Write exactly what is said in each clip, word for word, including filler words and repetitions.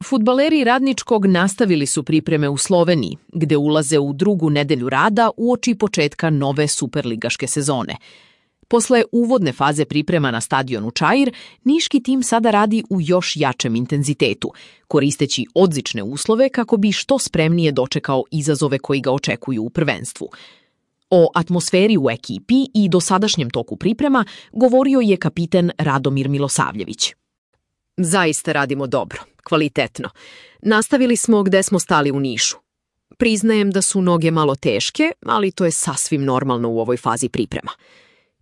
Fudbaleri Radničkog nastavili su pripreme u Sloveniji, gde ulaze u drugu nedelju rada uoči početka nove superligaške sezone. Posle uvodne faze priprema na stadionu Čair, niški tim sada radi u još jačem intenzitetu, koristeći odlične uslove kako bi što spremnije dočekao izazove koji ga očekuju u prvenstvu. O atmosferi u ekipi i dosadašnjem toku priprema govorio je kapiten Radomir Milosavljević. Zaista radimo dobro, kvalitetno. Nastavili smo gde smo stali u Nišu. Priznajem da su noge malo teške, ali to je sasvim normalno u ovoj fazi priprema.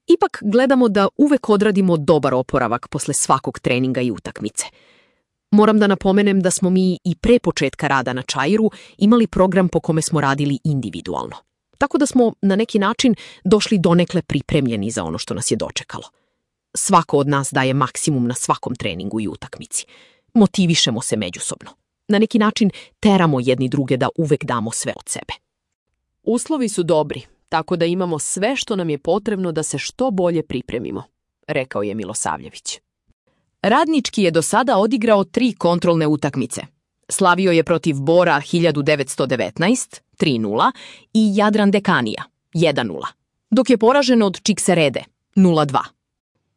Ipak gledamo da uvek odradimo dobar oporavak posle svakog treninga i utakmice. Moram da napomenem da smo mi i pre početka rada na Čairu imali program po kome smo radili individualno. Tako da smo na neki način došli donekle pripremljeni za ono što nas je dočekalo. Svako od nas daje maksimum na svakom treningu i utakmici. Motivišemo se međusobno. Na neki način teramo jedni druge da uvek damo sve od sebe. Uslovi su dobri, tako da imamo sve što nam je potrebno da se što bolje pripremimo, rekao je Milosavljević. Radnički je do sada odigrao tri kontrolne utakmice. Slavio je protiv Bora hiljadu devetsto devetnaest, tri nula, i Jadran Dekanija, jedan nula, dok je poražen od Čikserede, nula dva.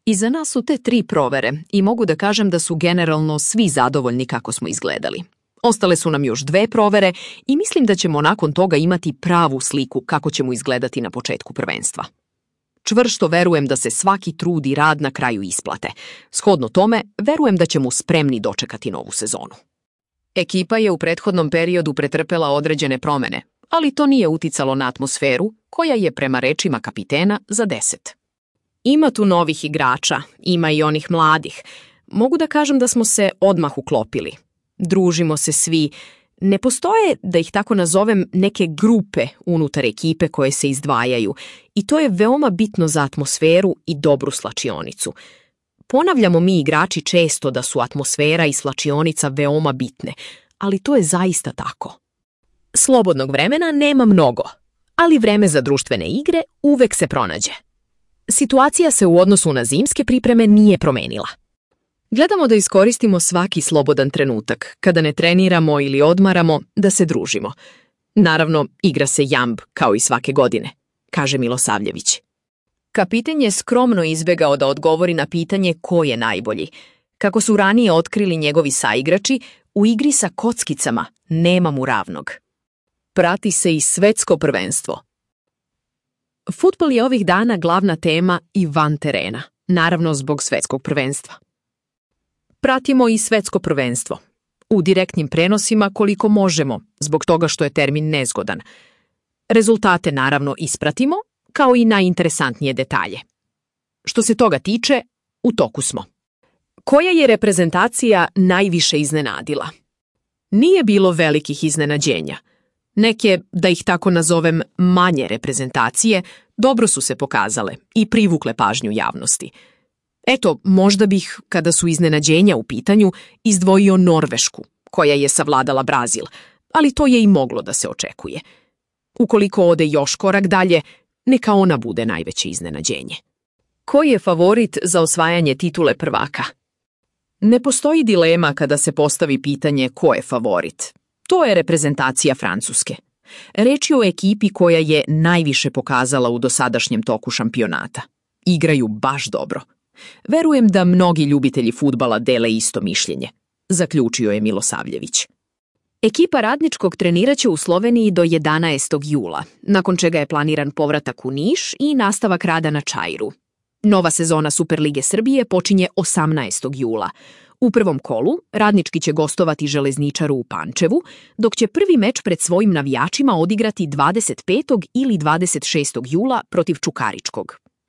Iza nas su te tri provere i mogu da kažem da su generalno svi zadovoljni kako smo izgledali. Ostale su nam još dve provere i mislim da ćemo nakon toga imati pravu sliku kako ćemo izgledati na početku prvenstva. Čvrsto verujem da se svaki trud i rad na kraju isplate. Shodno tome, verujem da ćemo spremni dočekati novu sezonu. Ekipa je u prethodnom periodu pretrpela određene promene, ali to nije uticalo na atmosferu, koja je prema rečima kapitena za deset. Ima tu novih igrača, ima i onih mladih. Mogu da kažem da smo se odmah uklopili. Družimo se svi. Ne postoje, da ih tako nazovem, neke grupe unutar ekipe koje se izdvajaju i to je veoma bitno za atmosferu i dobru slačionicu. Ponavljamo mi igrači često da su atmosfera i slačionica veoma bitne, ali to je zaista tako. Slobodnog vremena nema mnogo, ali vreme za društvene igre uvek se pronađe. Situacija se u odnosu na zimske pripreme nije promenila. Gledamo da iskoristimo svaki slobodan trenutak, kada ne treniramo ili odmaramo, da se družimo. Naravno, igra se jamb, kao i svake godine, kaže Milosavljević. Kapiten je skromno izbegao da odgovori na pitanje ko je najbolji. Kako su ranije otkrili njegovi saigrači, u igri sa kockicama nema mu ravnog. Prati se i svetsko prvenstvo. Fudbal je ovih dana glavna tema i van terena, naravno zbog svetskog prvenstva. Pratimo i svetsko prvenstvo. U direktnim prenosima koliko možemo, zbog toga što je termin nezgodan. Rezultate naravno ispratimo, kao i najinteresantnije detalje. Što se toga tiče, u toku smo. Koja je reprezentacija najviše iznenadila? Nije bilo velikih iznenađenja. Neke, da ih tako nazovem, manje reprezentacije, dobro su se pokazale i privukle pažnju javnosti. Eto, možda bih, kada su iznenađenja u pitanju, izdvojio Norvešku, koja je savladala Brazil, ali to je i moglo da se očekuje. Ukoliko ode još korak dalje, neka ona bude najveće iznenađenje. Ko je favorit za osvajanje titule prvaka? Ne postoji dilema kada se postavi pitanje ko je favorit. To je reprezentacija Francuske. Reč je o ekipi koja je najviše pokazala u dosadašnjem toku šampionata. Igraju baš dobro. Verujem da mnogi ljubitelji fudbala dele isto mišljenje, zaključio je Milosavljević. Ekipa Radničkog treniraće u Sloveniji do jedanaestog jula, nakon čega je planiran povratak u Niš i nastavak rada na Čairu. Nova sezona Superlige Srbije počinje osamnaestog jula. U prvom kolu Radnički će gostovati Železničaru u Pančevu, dok će prvi meč pred svojim navijačima odigrati dvadeset petog ili dvadeset šestog jula protiv Čukaričkog.